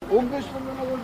15 сомдон алып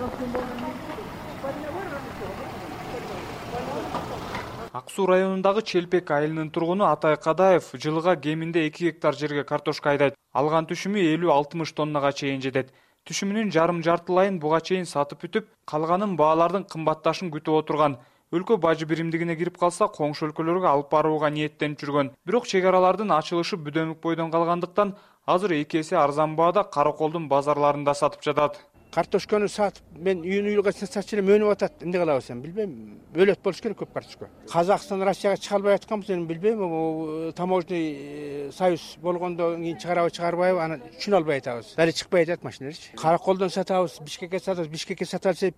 Ак Суу районундагы Челпек айылынын тургуну Атай Кадаев жылыга кеминде 2 гектар жерге картошка айдайт. Алган түшүмү 50-60 тоннага чейин жетет. Түшүмүнүн жарым-жартылайын буга чейин сатып бүтүп, калганын баалардын кымбатташын күтүп отурган. Өлкө бажы биримдигине кирип калса, коңшу өлкөлөргө алып барууга ниеттенип жүргөн. Бирок чек аралардын ачылышы Бүдөмүк бойдон калгандыктан, азыр 2 эсе арзан баада Караколдун базарларында сатып жатат. Картошканы сатып, мен үйгө сатчы элем өнүп атат. Эмне кылабыз эми билбейм. Өлөт болуш керек көп картошка. Казакстан, Россияга чыга албай атканбыз, эми билбейм. Таможный союз болгондон кийин чыгарабы, чыгарбайбы, аны түшүнө албай атабыз. Дали чыкпай атат машиналарчы. Караколдон сатабыз, Бишкекке сатабыз. Бишкекке сата алса,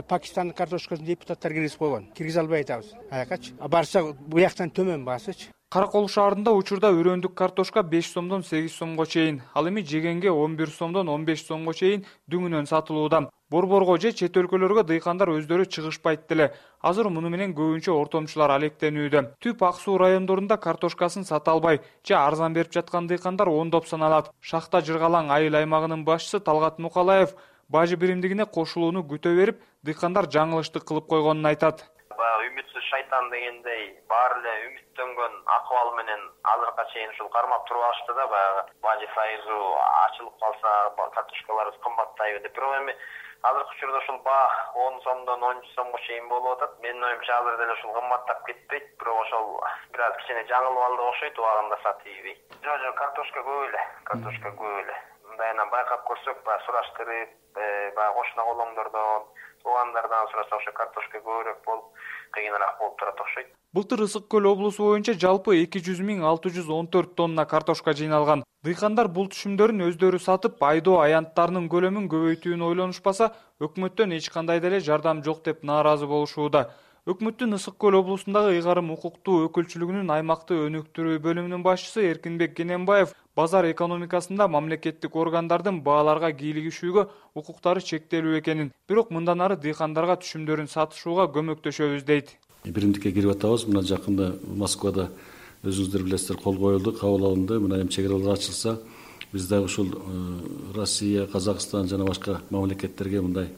Пакистандын картошкасын депутаттар киргизип койгон. Киргизе албай атабыз. Аякачы. Барса, буяктан төмөн баасычы. Каракол шаарында учурда өрөөндүк картошка 5 сомдон 8 сомго чейин, ал эми жегенге 11 сомдон 15 сомго чейин дүңүнөн сатылууда. Борборго же чет өлкөлөргө дыйкандар өздөрү чыгышпайт деле. Азыр муну менен көбүнчө ортомчулар алектенүүдө. Түп Ак Суу райондорунда картошкасын сата албай, же арзан берип жаткан дыйкандар ондоп саналат. Шахта Жыргалаң айыл аймагынын башчысы Талгат Мукалаев бажы биримдигине кошулууну күтө берип, дыйкандар жаңылыштык кылып койгонун айтат. Үмүтсүз шайтан дегендей баары эле үмүттөнгөн акыбал менен азыркыга чейин ушул кармап туруп алышты да, баягы бажы союзу ачылып калса картошкаларыбыз кымбаттайбы деп. Бирок эми азыркы учурда ушул баа 10 сомдон 13 сомго чейин болуп атат. Менин оюмча азыр деле ушул кымбаттап кетпейт, бирок ошол бир аз кичине жаңылып алды окшойт, убагында сатыйбый. Жок, картошка көп эле, картошка көп эле. Мындайынан байкап көрсөк, баягы сураштырып, баягы кошуна колоңдордон, туугандардан сураса ошо картошка көбүрөөк болуп, кыйыныраак болуп турат окшойт. Былтыр Ысык көл облусу боюнча жалпы 200.614 тонна картошка жыйналган. Дыйкандар бул түшүмдөрүн өздөрү сатып, айдоо аянттарынын көлөмүн көбөйтүүнү ойлонушпаса, өкмөттөн эч кандай деле жардам жок деп нааразы болушууда. Өкмөттүн Ысык көл облусундагы ыйгарым укуктуу өкүлчүлүгүнүн аймакты өнүктүрүү бөлүмүнүн башчысы Эркинбек Кененбаев базар экономикасында мамлекеттик органдардын бааларга кийлигишүүгө укуктары чектелүү экенин, бирок мындан ары дыйкандарга түшүмдөрүн сатышууга көмөктөшөбүз дейт. Биримдикке кирип атабыз. Мына жакында Москвада өзүңүздөр билесиздер, кол коюлду, кабыл алынды. Мына эми чек аралар ачылса, биз дагы ушул Россия, Казакстан жана башка мамлекеттерге мындай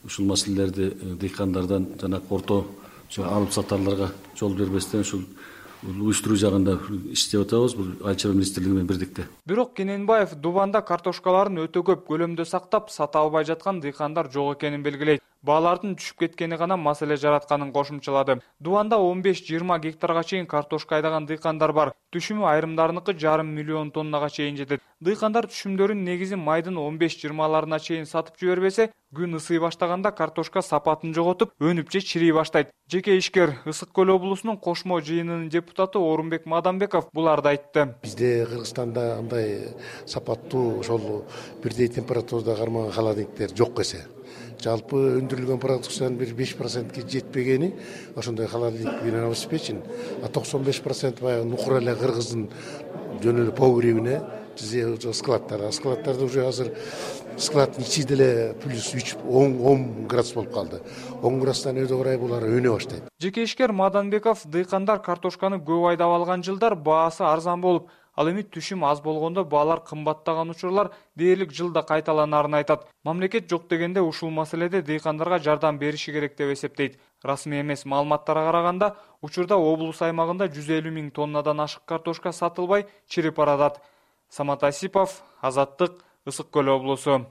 ушул маселелерди дыйкандардан жана орто алып сатарларга жол бербестен ушул уюштуруу жагында иштеп атабыз. Бул Айыл чарба министрлиги менен бирдикте. Бирок Кененбаев Дубанда картошкаларын өтө көп көлөмдө сактап, сата албай жаткан дыйкандар жок экенин белгилейт. Баалардын түшүп кеткени гана маселе жаратканын кошумчалады. Дубанда 15-20 гектарга чейин картошка айдаган дыйкандар бар. Түшүмү айрымдарыныкы 500 миллион тоннага чейин жетет. Дыйкандар түшүмдөрүн негизи майдын 15-20 чейин сатып жибербесе, күн ысый баштаганда картошка сапатын жоготуп, өнүп же чирей баштайт. Жеке ишкер Ысык көл облусунун кошмо жыйынынын депутаты Орунбек Мадамбеков буларды айтты. Бизде Кыргызстанда андай сапаттуу ошол бирдей температурада кармаган холодильниктер жок эсе. Жалпы өндүрүлгөн продукциянын бир 5%ке жетпегени ошондой холодильник менен обеспечен, а 95% баягы нукура эле Кыргыздын жөн эле погребине же складтарда. Складтарда уже азыр складдын ичи деле плюс 10 градус болуп калды. 10 градустан өйдө карай булар өнө баштайт. Жеке ишкер Маданбеков дыйкандар картошканы көп айдап алган жылдар баасы арзан болуп, ал эми түшүм аз болгондо баалар кымбаттаган учурлар дээрлик жылда кайталанарын айтат. Мамлекет жок дегенде ушул маселеде дыйкандарга жардам бериши керек деп эсептейт. Расмий эмес маалыматтарга караганда, учурда облус аймагында 150 000 тоннадан ашык картошка сатылбай чирип баратат. Самат Асипов, Азаттык, Ысык көл облусу.